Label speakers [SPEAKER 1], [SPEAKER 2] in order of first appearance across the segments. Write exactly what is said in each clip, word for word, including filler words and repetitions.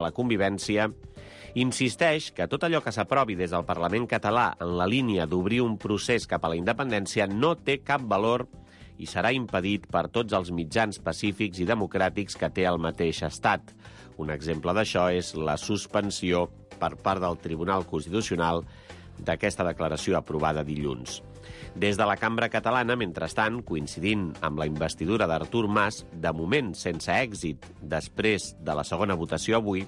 [SPEAKER 1] la convivència, insisteix que tot allò que s'aprovi des del Parlament català en la línia d'obrir un procés cap a la independència no té cap valor i serà impedit per tots els mitjans pacífics i democràtics que té el mateix estat. Un exemple d'això és la suspensió per part del Tribunal Constitucional d'aquesta declaració aprovada dilluns. Des de la cambra catalana, mentrestant, coincidint amb la investidura d'Artur Mas, de moment sense èxit després de la segona votació avui,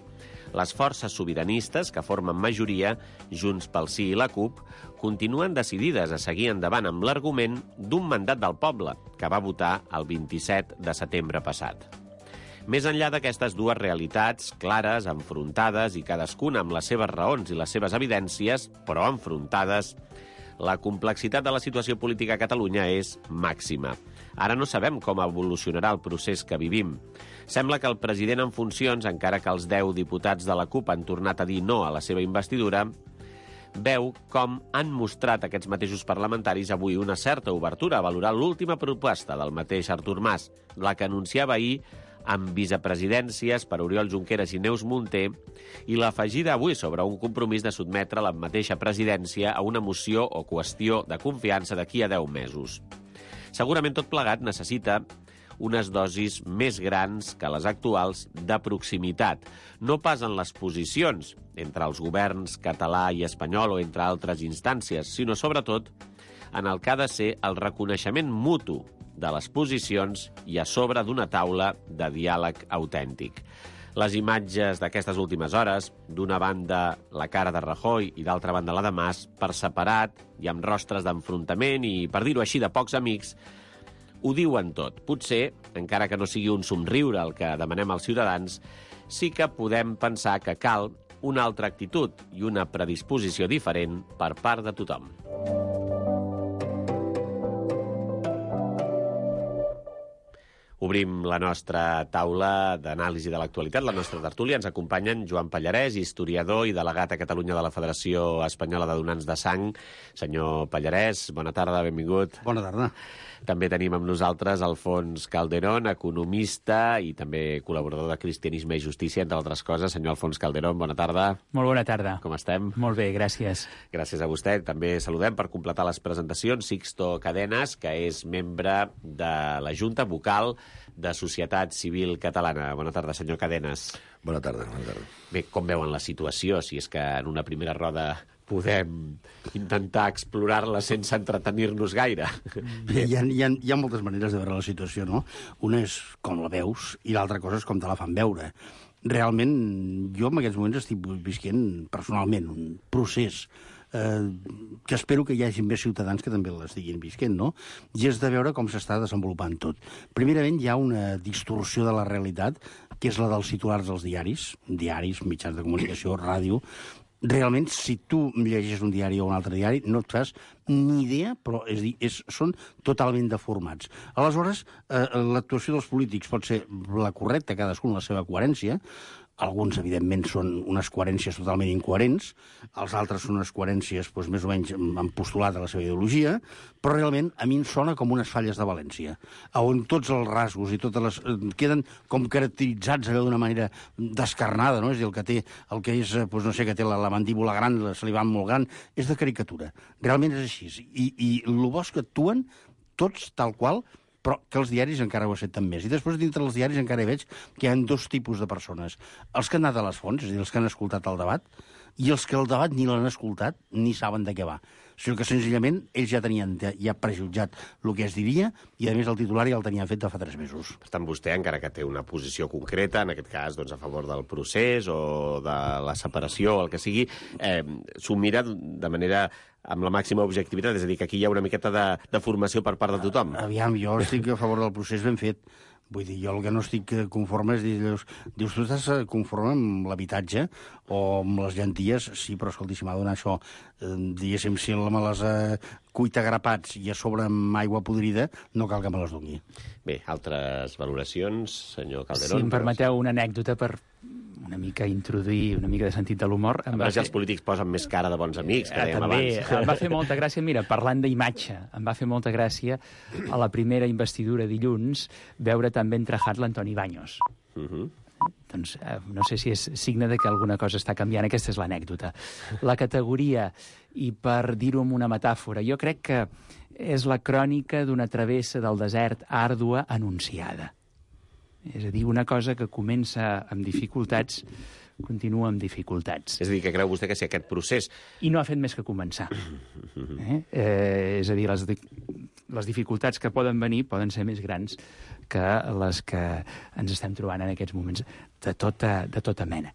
[SPEAKER 1] les forces sobiranistes que formen majoria, Junts pel Sí i la CUP, continuen decidides a seguir endavant amb l'argument d'un mandat del poble, que va votar el vint-i-set de setembre passat. Més enllà d'aquestes dues realitats clares, enfrontades i cadascuna amb les seves raons i les seves evidències, però enfrontades, la complexitat de la situació política a Catalunya és màxima. Ara no sabem com evolucionarà el procés que vivim. Sembla que el president en funcions, encara que els deu diputats de la CUP han tornat a dir no a la seva investidura, veu com han mostrat aquests mateixos parlamentaris avui una certa obertura a valorar l'última proposta del mateix Artur Mas, la que anunciava ahir amb vicepresidències per Oriol Junqueras i Neus Munté, i l'afegida avui sobre un compromís de sotmetre la mateixa presidència a una moció o qüestió de confiança d'aquí a deu mesos. Segurament tot plegat necessita unes dosis més grans que les actuals de proximitat, no pas en les posicions entre els governs català i espanyol o entre altres instàncies, sinó sobretot en el que ha de ser el reconeixement mutu de les posicions i a sobre d'una taula de diàleg autèntic. Les imatges d'aquestes últimes hores, d'una banda la cara de Rajoy i d'altra banda la de Mas, per separat i amb rostres d'enfrontament i, per dir-ho així, de pocs amics, ho diuen tot. Potser, encara que no sigui un somriure el que demanem als ciutadans, sí que podem pensar que cal una altra actitud i una predisposició diferent per part de tothom. Obrim la nostra taula d'anàlisi de l'actualitat, la nostra tertúlia. Ens acompanyen Joan Pallarès, historiador i delegat a Catalunya de la Federació Espanyola de Donants de Sang. Senyor Pallarès, bona tarda, benvingut.
[SPEAKER 2] Bona tarda.
[SPEAKER 1] També tenim amb nosaltres Alfons Calderón, economista i també col·laborador de Cristianisme i Justícia, entre altres coses. Senyor Alfons Calderón, bona tarda.
[SPEAKER 3] Molt bona tarda.
[SPEAKER 1] Com estem?
[SPEAKER 3] Molt bé, gràcies.
[SPEAKER 1] Gràcies a vostè. També saludem per completar les presentacions Sixto Cadenas, que és membre de la Junta Vocal de Societat Civil Catalana. Bona tarda, senyor Cadenas.
[SPEAKER 4] Bona tarda, bona tarda.
[SPEAKER 1] Bé, com veuen la situació? Si és que en una primera roda podem intentar explorar-la sense entretenir-nos gaire.
[SPEAKER 2] Bé, hi ha, hi, ha, hi ha moltes maneres de veure la situació, no? Una és com la veus i l'altra cosa és com te la fan veure. Realment, jo en aquests moments estic visquent personalment un procés eh, que espero que hi hagi més ciutadans que també l'estiguin visquent, no? I és de veure com s'està desenvolupant tot. Primerament, hi ha una distorsió de la realitat, que és la dels titulars dels diaris, diaris, mitjans de comunicació, ràdio. Realment, si tu llegeixes un diari o un altre diari, no et fas ni idea, però és dir, és, són totalment deformats. Aleshores, eh, l'actuació dels polítics pot ser la correcta, cadascun la seva coherència. Alguns, evidentment, són unes coherències totalment incoherents, els altres són unes coherències doncs, més o menys amb postulat a la seva ideologia, però realment a mi em sona com unes falles de València, on tots els rasgos i totes les... queden com caracteritzats allò d'una manera descarnada, no? És a dir, el que té, el que és, doncs, no sé, que té la, la mandíbula gran, la saliva molt gran, és de caricatura. Realment és així. I, i el bo és que actuen tots tal qual, però que els diaris encara ho accepten més. I després, dintre dels diaris, encara hi veig que hi ha dos tipus de persones. Els que han anat a les fonts, és a dir, els que han escoltat el debat, i els que el debat ni l'han escoltat ni saben de què va. O sigui que, senzillament, ells ja tenien ja prejutjat el que es diria, i, a més, el titular ja el tenien fet de fa tres mesos.
[SPEAKER 1] Per tant, vostè, encara que té una posició concreta, en aquest cas, doncs, a favor del procés o de la separació, o el que sigui, eh, s'ho mira de manera amb la màxima objectivitat, és a dir, que aquí hi ha una miqueta de, de formació per part de tothom.
[SPEAKER 2] Aviam, jo estic a favor del procés ben fet. Vull dir, jo el que no estic conforme és dir, dius, dius tu estàs conforme amb l'habitatge o amb les llenties? Sí, però escolti, si m'ha donat això, eh, diguéssim, si me les eh, cuita grapats i a sobre amb aigua podrida, no cal que me les doni.
[SPEAKER 1] Bé, altres valoracions, senyor Calderón?
[SPEAKER 3] Si em permeteu una anècdota per una mica introduir una mica de sentit de l'humor.
[SPEAKER 1] A més, fer... els polítics posen més cara de bons amics, que
[SPEAKER 3] eh,
[SPEAKER 1] dèiem
[SPEAKER 3] també,
[SPEAKER 1] abans.
[SPEAKER 3] Em va fer molta gràcia, mira, parlant d'imatge, em va fer molta gràcia a la primera investidura dilluns veure també entrejat l'Antoni Baños.
[SPEAKER 1] Uh -huh.
[SPEAKER 3] doncs eh, no sé si és signe de que alguna cosa està canviant. Aquesta és l'anècdota. La categoria, i per dir-ho amb una metàfora, jo crec que és la crònica d'una travessa del desert àrdua anunciada. És a dir, una cosa que comença amb dificultats continua amb dificultats.
[SPEAKER 1] És a dir, que creu vostè que si aquest procés...
[SPEAKER 3] I no ha fet més que començar. Eh? Eh, és a dir, les, les dificultats que poden venir poden ser més grans que les que ens estem trobant en aquests moments de tota, de tota mena.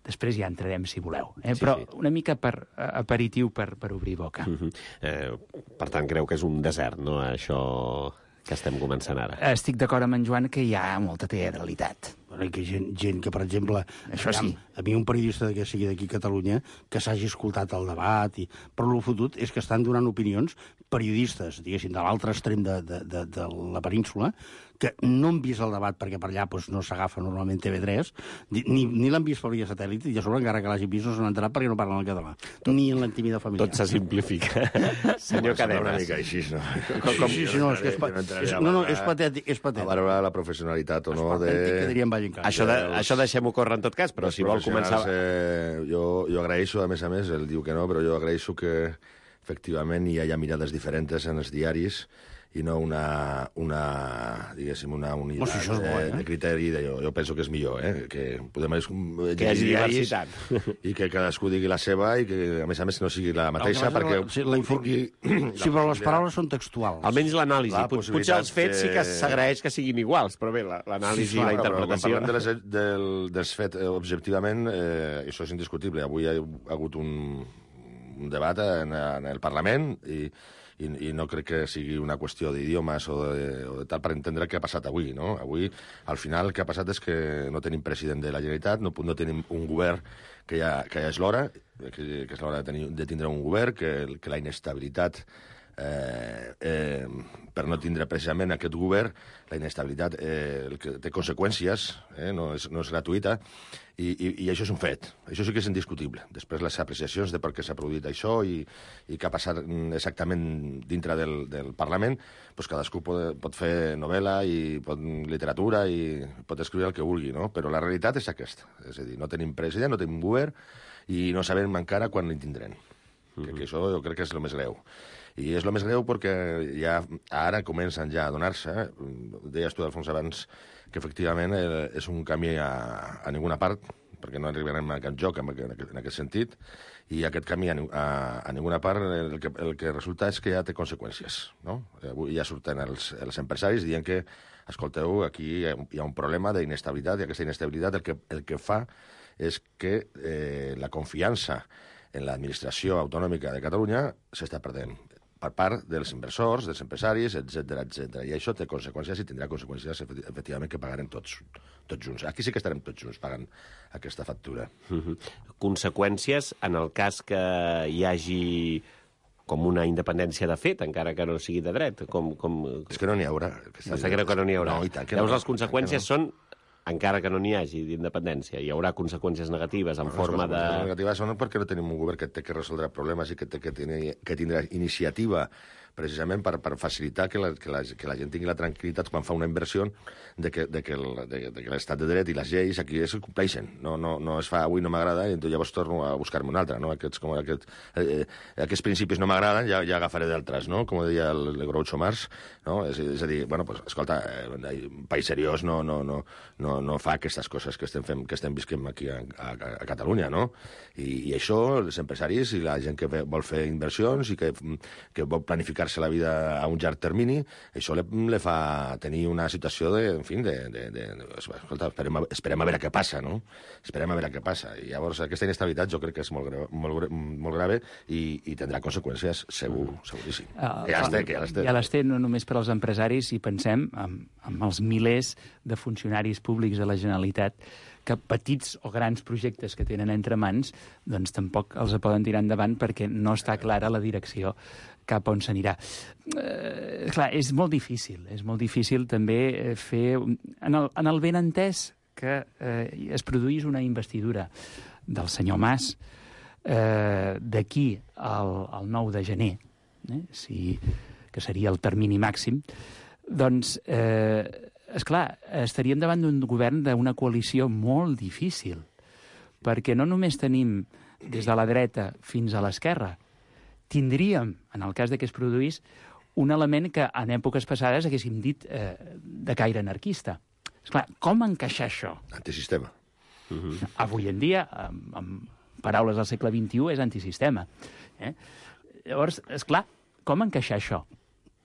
[SPEAKER 3] Després ja entrarem, si voleu. Eh?
[SPEAKER 1] Sí,
[SPEAKER 3] Però
[SPEAKER 1] sí.
[SPEAKER 3] una mica per aperitiu per, per obrir boca.
[SPEAKER 1] Uh -huh. eh, per tant, creu que és un desert, no?, això que estem començant ara.
[SPEAKER 3] Estic d'acord amb en Joan que hi ha molta teatralitat.
[SPEAKER 2] Bueno, que gent, gent que, per exemple,
[SPEAKER 3] Això sí.
[SPEAKER 2] a mi un periodista que sigui d'aquí a Catalunya que s'hagi escoltat el debat, i... però el fotut és que estan donant opinions periodistes, diguéssim, de l'altre extrem de, de, de, de la península, que no han vist el debat perquè per allà doncs, no s'agafa normalment T V tres, ni, ni l'han vist per via satèl·lit, i a sobre encara que l'hagi vist no s'han enterat perquè no parlen el català, ni en l'intimitat familiar.
[SPEAKER 1] Tot se simplifica. Senyor Cadenes.
[SPEAKER 4] Una mica així, no?
[SPEAKER 2] Com, com... Sí, sí, no, és que és, pa... és, no, no, és patètic, és
[SPEAKER 4] A
[SPEAKER 2] patètic.
[SPEAKER 4] valorar la professionalitat o no de...
[SPEAKER 2] Que diríem Valle Inclán.
[SPEAKER 1] Això, de, això deixem-ho córrer en tot cas, però
[SPEAKER 4] Els
[SPEAKER 1] si vol començar...
[SPEAKER 4] professionals, Eh, jo, jo agraeixo, a més a més, ell diu que no, però jo agraeixo que efectivament hi hagi mirades diferents en els diaris i no una, una diguéssim, una unitat
[SPEAKER 2] Oh, si això és bo, eh?
[SPEAKER 4] de criteri. De, jo, jo penso que és millor, eh? Que podem
[SPEAKER 1] Que hi hagi
[SPEAKER 4] diaris
[SPEAKER 1] diversitat.
[SPEAKER 4] i que cadascú digui la seva i que, a més a més, no sigui la mateixa,
[SPEAKER 2] No,
[SPEAKER 4] perquè...
[SPEAKER 2] la, sí, la infor...
[SPEAKER 4] tingui
[SPEAKER 2] sí, però les paraules són textuals.
[SPEAKER 1] Almenys l'anàlisi.
[SPEAKER 4] La
[SPEAKER 1] Pot- Potser
[SPEAKER 4] possibilitat
[SPEAKER 1] els fets sí que
[SPEAKER 4] de-
[SPEAKER 1] s'agraeix que siguin iguals, però bé, la- l'anàlisi
[SPEAKER 4] Sí,
[SPEAKER 1] i la
[SPEAKER 4] clar, però
[SPEAKER 1] interpretació...
[SPEAKER 4] Quan parlem de les, del, dels fets eh, objectivament, eh, això és indiscutible. Avui hi ha hagut un, un debat en, en el Parlament i, i, i no crec que sigui una qüestió d'idiomes o, de, o de tal per entendre què ha passat avui, no? Avui, al final, el que ha passat és que no tenim president de la Generalitat, no, no tenim un govern que ja, que ja és l'hora, que, que és l'hora de, tenir, de tindre un govern, que, que la inestabilitat Eh, eh, per no tindre precisament aquest govern, la inestabilitat eh, el que té conseqüències, eh, no, és, no és gratuïta, i, i, i això és un fet. Això sí que és indiscutible. Després les apreciacions de per què s'ha produït això i, i què ha passat exactament dintre del, del Parlament, doncs cadascú pot, pot fer novel·la i pot, literatura i pot escriure el que vulgui, no? Però la realitat és aquesta. És a dir, no tenim president, no tenim govern i no sabem encara quan en tindrem. Mm-hmm. que, que això jo crec que és el més greu. I és el més greu perquè ja ara comencen ja a donar-se, eh? Deies tu, Alfons, abans, que efectivament eh, és un camí a, a ninguna part, perquè no arribarem a cap joc en aquest, en aquest sentit, i aquest camí a, a, a ninguna part el que, el que resulta és que ja té conseqüències, no? Avui ja surten els, els empresaris dient que, escolteu, aquí hi ha un problema d'inestabilitat, i aquesta inestabilitat el que, el que fa és que eh, la confiança en l'administració autonòmica de Catalunya s'està perdent per part dels inversors, dels empresaris, etcètera, etcètera. I això té conseqüències i tindrà conseqüències, efectivament, que pagarem tots, tots junts. Aquí sí que estarem tots junts pagant aquesta factura.
[SPEAKER 1] Uh-huh. Conseqüències en el cas que hi hagi com una independència de fet, encara que no sigui de dret. Com, com...
[SPEAKER 4] És que no n'hi haurà.
[SPEAKER 1] No sé, creu que no n'hi haurà.
[SPEAKER 4] No, i tant que
[SPEAKER 1] Llavors,
[SPEAKER 4] no.
[SPEAKER 1] les conseqüències són, encara que no n'hi hagi d'independència, hi haurà conseqüències negatives en
[SPEAKER 4] Les
[SPEAKER 1] forma de...
[SPEAKER 4] conseqüències negatives són perquè no tenim un govern que té que resoldre problemes i que té que, tenir, que tindrà iniciativa precisament per, per facilitar que la, que, la, que la gent tingui la tranquil·litat quan fa una inversió de que, de que, el, de, de que l'estat de dret i les lleis aquí es compleixen. No, no, no es fa avui no m'agrada i llavors torno a buscar-me una altra. No? Aquests, com aquest, eh, aquests principis no m'agraden, ja, ja agafaré d'altres, no? Com deia el, el Groucho Marx. No? És, és a dir, bueno, pues, escolta, eh, un país seriós no, no, no, no, no fa aquestes coses que estem, fent, que estem visquem aquí a, a, a Catalunya, no? I, I això, els empresaris i la gent que vol fer inversions i que, que vol planificar la vida a un llarg termini, això le, le fa tenir una situació de, en fi, de, de, de, de escolta, esperem a, esperem a veure què passa, no? Esperem a veure què passa. I llavors aquesta inestabilitat jo crec que és molt, greu, molt, molt grave i, i tindrà conseqüències segur, seguríssim.
[SPEAKER 3] Uh,
[SPEAKER 4] que ja les té, que ja les té.
[SPEAKER 3] Ja les té no només per als empresaris, i pensem en, en els milers de funcionaris públics de la Generalitat que petits o grans projectes que tenen entre mans doncs tampoc els poden tirar endavant perquè no està clara la direcció cap on s'anirà. Eh, clar, és molt difícil, és molt difícil també fer... En el, en el benentès que eh, es produís una investidura del senyor Mas eh, d'aquí al, al nou de gener, eh, si, que seria el termini màxim, doncs eh, esclar, estaríem davant d'un govern d'una coalició molt difícil, perquè no només tenim des de la dreta fins a l'esquerra, tindríem, en el cas de que es produís, un element que en èpoques passades haguéssim dit eh, de caire anarquista. Esclar, com encaixar això?
[SPEAKER 4] Antisistema.
[SPEAKER 3] Uh-huh. Avui en dia, amb, amb paraules del segle vint-i-u, és antisistema. Eh? Llavors, esclar, com encaixar això?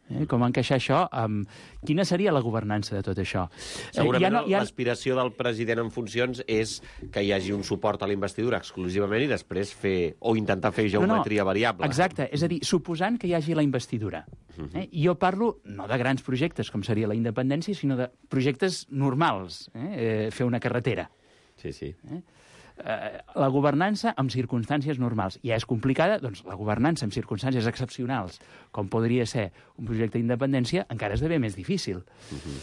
[SPEAKER 3] Eh? Com encaixar això? Um, quina seria la governança de tot això?
[SPEAKER 1] Segurament
[SPEAKER 3] eh, ja no, ja...
[SPEAKER 1] l'aspiració del president en funcions és que hi hagi un suport a la investidura exclusivament i després fer, o intentar fer geometria no, no. variable.
[SPEAKER 3] Exacte, és a dir, suposant que hi hagi la investidura. Eh? Jo parlo no de grans projectes, com seria la independència, sinó de projectes normals. Eh? Eh, fer una carretera.
[SPEAKER 1] Sí, sí.
[SPEAKER 3] Eh? Eh, la governança amb circumstàncies normals. Ja és complicada, doncs la governança amb circumstàncies excepcionals, com podria ser un projecte d'independència, encara esdevé més difícil. Uh-huh.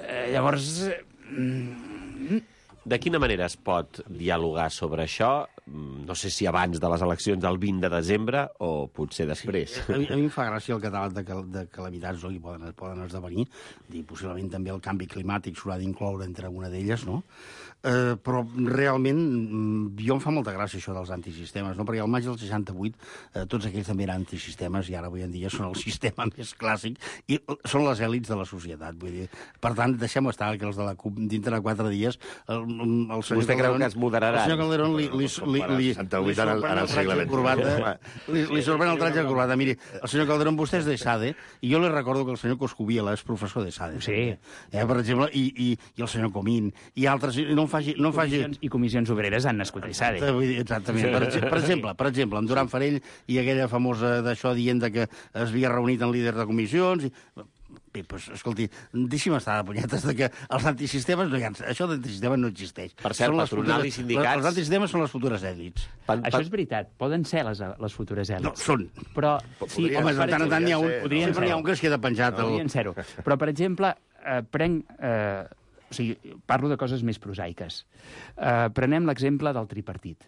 [SPEAKER 3] Eh, llavors... Eh,
[SPEAKER 1] De quina manera es pot dialogar sobre això? No sé si abans de les eleccions del vint de desembre o potser després.
[SPEAKER 2] Sí. A, mi, a mi em fa gràcia el catàleg de, cal, de calamitats no, que poden, poden esdevenir, i possiblement també el canvi climàtic s'haurà d'incloure entre una d'elles, no? Eh, però realment jo em fa molta gràcia això dels antisistemes, no? Perquè al maig del seixanta-vuit eh, tots aquells també eren antisistemes i ara avui en dia són el sistema més clàssic i són les èlits de la societat. Vull dir. Per tant, deixem estar que els de la CUP dintre de quatre dies el, el senyor
[SPEAKER 1] Vostè creu que es moderaran?
[SPEAKER 2] El senyor Calderón li, li, li, li, li, li sorprèn el tratge de corbata. Li, li sorprèn el tratge de corbata. Miri, el senyor Calderón, vostè és de SADE, i jo li recordo que el senyor Coscubiela és professor de SADE.
[SPEAKER 3] Sí.
[SPEAKER 2] Eh, per exemple, i, i, i el senyor Comín, i altres... No em faci... No em faci...
[SPEAKER 3] Comissions, I comissions obreres han nascut a SADE.
[SPEAKER 2] Exactament. Per, per exemple, per exemple, en Duran Farell i aquella famosa d'això dient que es havia reunit en líders de comissions... I... Bé, doncs, escolti, deixi'm estar de punyetes de que els antisistemes no hi ha... Això d'antisistemes no existeix.
[SPEAKER 1] Per cert, patronal i sindicats...
[SPEAKER 2] Els antisistemes són les futures èlits.
[SPEAKER 3] Pan, pan... Això és veritat, poden ser les, les futures èlits.
[SPEAKER 2] No, són.
[SPEAKER 3] Però...
[SPEAKER 2] Sí, home, de tant en tant n'hi ha un,
[SPEAKER 3] podrien
[SPEAKER 2] sempre n'hi ha un que es queda penjat.
[SPEAKER 3] No, podrien ser-ho. Però, per exemple, eh, prenc... Eh, o sigui, parlo de coses més prosaiques. Eh, prenem l'exemple del tripartit.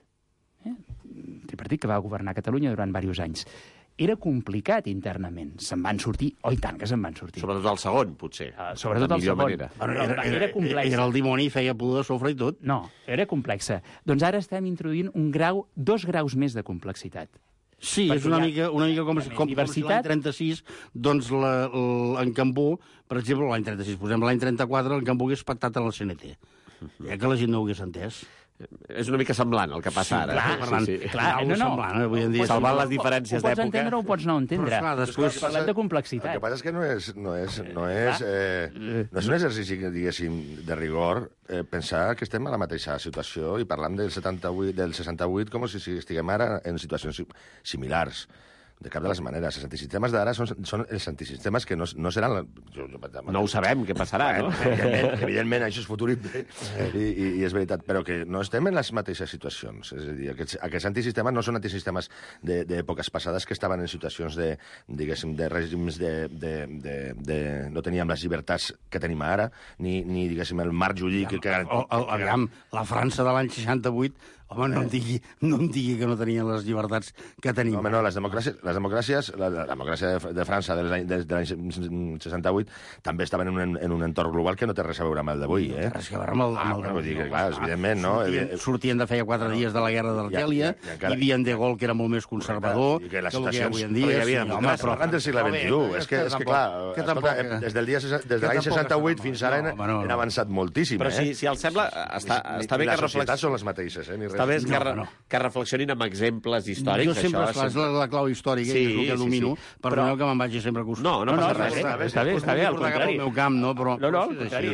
[SPEAKER 3] Eh? El tripartit que va governar Catalunya durant diversos anys. Era complicat internament. Se'n van sortir, oh, i tant que se'n van sortir.
[SPEAKER 1] Sobretot el segon, potser.
[SPEAKER 3] Uh, sobretot el segon.
[SPEAKER 2] Era, era, era, complexa. Era el dimoni, feia pudor de sofre i tot.
[SPEAKER 3] No, era complexa. Doncs ara estem introduint un grau, dos graus més de complexitat.
[SPEAKER 2] Sí, perquè és una mica, una mica com, com, com si l'any trenta-sis, doncs la, la, en Cambó, per exemple, l'any trenta-sis, posem l'any trenta-quatre, en Cambó hagués pactat a la C N T. Ja que la gent no ho hagués entès.
[SPEAKER 1] És una mica semblant el que passa
[SPEAKER 3] sí,
[SPEAKER 1] ara.
[SPEAKER 3] Clar,
[SPEAKER 1] sí, sí.
[SPEAKER 3] clar, no, no.
[SPEAKER 2] Semblant, avui en dia.
[SPEAKER 1] Salvant les diferències d'època.
[SPEAKER 3] Ho pots entendre o ho pots no entendre.
[SPEAKER 2] Però, clar, després...
[SPEAKER 3] Parlem de complexitat.
[SPEAKER 4] El que passa és que no és, no és, no és, eh, no és un exercici, diguéssim, de rigor eh, pensar que estem a la mateixa situació i parlam del setanta-vuit, del seixanta-vuit com si estiguem ara en situacions similars. De cap de les maneres. Els antisistemes d'ara són, són els antisistemes que no, no seran... La... Jo, jo,
[SPEAKER 1] no ho sabem, què passarà, no?
[SPEAKER 4] Evidentment, evidentment això és futurible i, i, i és veritat, però que no estem en les mateixes situacions. És a dir, aquests, aquests antisistemes no són antisistemes d'èpoques passades que estaven en situacions de, diguéssim, de règims de, de, de, de... no teníem les llibertats que tenim ara, ni, ni diguéssim, el marc jurídic que...
[SPEAKER 2] O, o, aviam, la França de l'any seixanta-vuit, home, no em digui, no em digui que no tenien les llibertats que tenim.
[SPEAKER 4] Home, no, les democràcies, les democràcies la, la democràcia de, de França de l'any de, de l'any seixanta-vuit també estaven en un, en un entorn global que no té res a veure amb el d'avui, eh?
[SPEAKER 2] Res a veure amb el...
[SPEAKER 4] Ah, bueno, dir que, clar, evidentment, no?
[SPEAKER 2] Sortien, sortien de feia quatre dies de la guerra d'Argèlia, hi havia en De Gaulle, que era molt més conservador,
[SPEAKER 4] i que les
[SPEAKER 2] que el que hi ha avui en
[SPEAKER 4] dia...
[SPEAKER 2] Hi
[SPEAKER 4] havia democràcia, parlant del segle vint-i-u. És que, és que clar, escolta, des del dia des de l'any seixanta-vuit fins ara han avançat moltíssim,
[SPEAKER 1] eh? Però si, si els sembla, està, està bé que reflexionin...
[SPEAKER 4] Les societats són les mateixes, eh?
[SPEAKER 1] Està bé que, re, que reflexionin amb exemples històrics.
[SPEAKER 2] Jo sempre, això, és la, la clau històrica, sí, és el que domino, sí, sí. Perdoneu que me'n vagi sempre a costar.
[SPEAKER 1] No, no, no passa
[SPEAKER 3] res. Està bé, està bé, al contrari.
[SPEAKER 2] El meu camp, no? Però,
[SPEAKER 3] no, no, al contrari.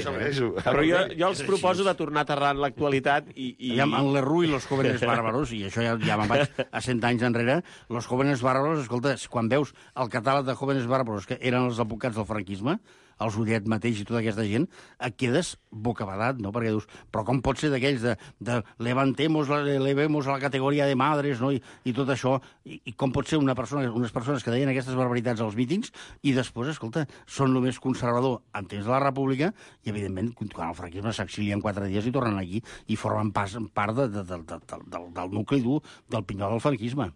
[SPEAKER 1] Però jo, jo els proposo de tornar a aterrar en l'actualitat i... i...
[SPEAKER 2] En Lerroux i los jóvenes bárbaros, i això ja, ja me'n vaig a cent anys enrere, los jóvenes bárbaros, escolta, quan veus el catàleg de jóvenes bárbaros, que eren els advocats del franquisme, els Ullet mateix i tota aquesta gent, et quedes bocabadat, no? Perquè dius, però com pot ser d'aquells de, de levantemos, elevemos a la categoria de madres, no? I, i tot això, i, i com pot ser una persona, unes persones que deien aquestes barbaritats als mítings i després, escolta, són el més conservador en temps de la República i, evidentment, quan el franquisme s'exilien quatre dies i tornen aquí i formen pas, part de, de, de, de, de, del, del nucli dur del pinyol del franquisme.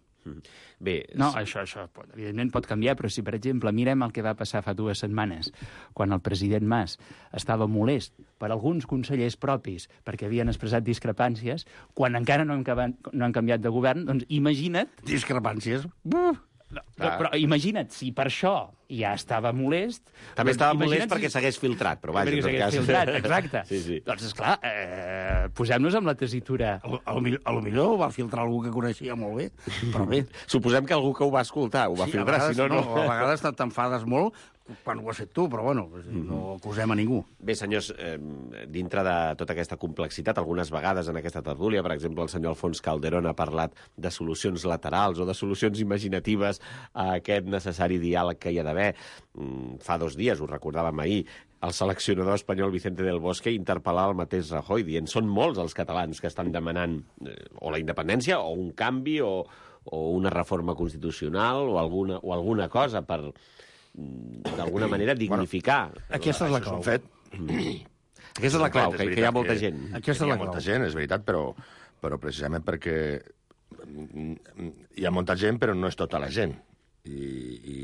[SPEAKER 1] Bé...
[SPEAKER 3] No, això, això pot, evidentment pot canviar, però si, per exemple, mirem el que va passar fa dues setmanes, quan el president Mas estava molest per alguns consellers propis perquè havien expressat discrepàncies, quan encara no han, no han canviat de govern, doncs imagina't...
[SPEAKER 2] Discrepàncies?
[SPEAKER 3] Buf! No, no, però imagina't, si per això ja estava molest...
[SPEAKER 1] També
[SPEAKER 3] doncs
[SPEAKER 1] estava molest
[SPEAKER 3] imagina't
[SPEAKER 1] perquè s'hagués filtrat, però vaja,
[SPEAKER 3] perquè
[SPEAKER 1] en tot
[SPEAKER 3] s'hagués
[SPEAKER 1] cas...
[SPEAKER 3] filtrat, exacte.
[SPEAKER 1] Sí, sí.
[SPEAKER 3] Doncs, esclar, eh, posem-nos amb la tessitura...
[SPEAKER 2] A lo, a lo, millor- a lo millor ho va filtrar algú que coneixia molt bé, però bé.
[SPEAKER 1] Suposem que algú que ho va escoltar ho va
[SPEAKER 2] Sí, a
[SPEAKER 1] filtrar,
[SPEAKER 2] vegades,
[SPEAKER 1] si no, no...
[SPEAKER 2] A vegades t'enfades molt quan ho has fet tu, però bueno, no acusem a ningú.
[SPEAKER 1] Bé, senyors, eh, dintre de tota aquesta complexitat, algunes vegades en aquesta tertúlia, per exemple, el senyor Alfons Calderón ha parlat de solucions laterals o de solucions imaginatives a aquest necessari diàleg que hi ha d'haver. Mm, fa dos dies, ho recordàvem ahir, el seleccionador espanyol Vicente del Bosque interpel·lar el mateix Rajoy, dient són molts els catalans que estan demanant eh, o la independència o un canvi o, o una reforma constitucional o alguna, o alguna cosa per d'alguna manera dignificar.
[SPEAKER 2] Bueno, aquesta és la clau.
[SPEAKER 4] Fet.
[SPEAKER 1] Aquesta és la clau, que, que hi ha molta
[SPEAKER 4] que,
[SPEAKER 1] gent.
[SPEAKER 2] Aquesta és
[SPEAKER 4] hi
[SPEAKER 2] la
[SPEAKER 4] ha molta
[SPEAKER 2] clau.
[SPEAKER 4] gent, és veritat, però, però precisament perquè hi ha molta gent, però no és tota la gent. I, i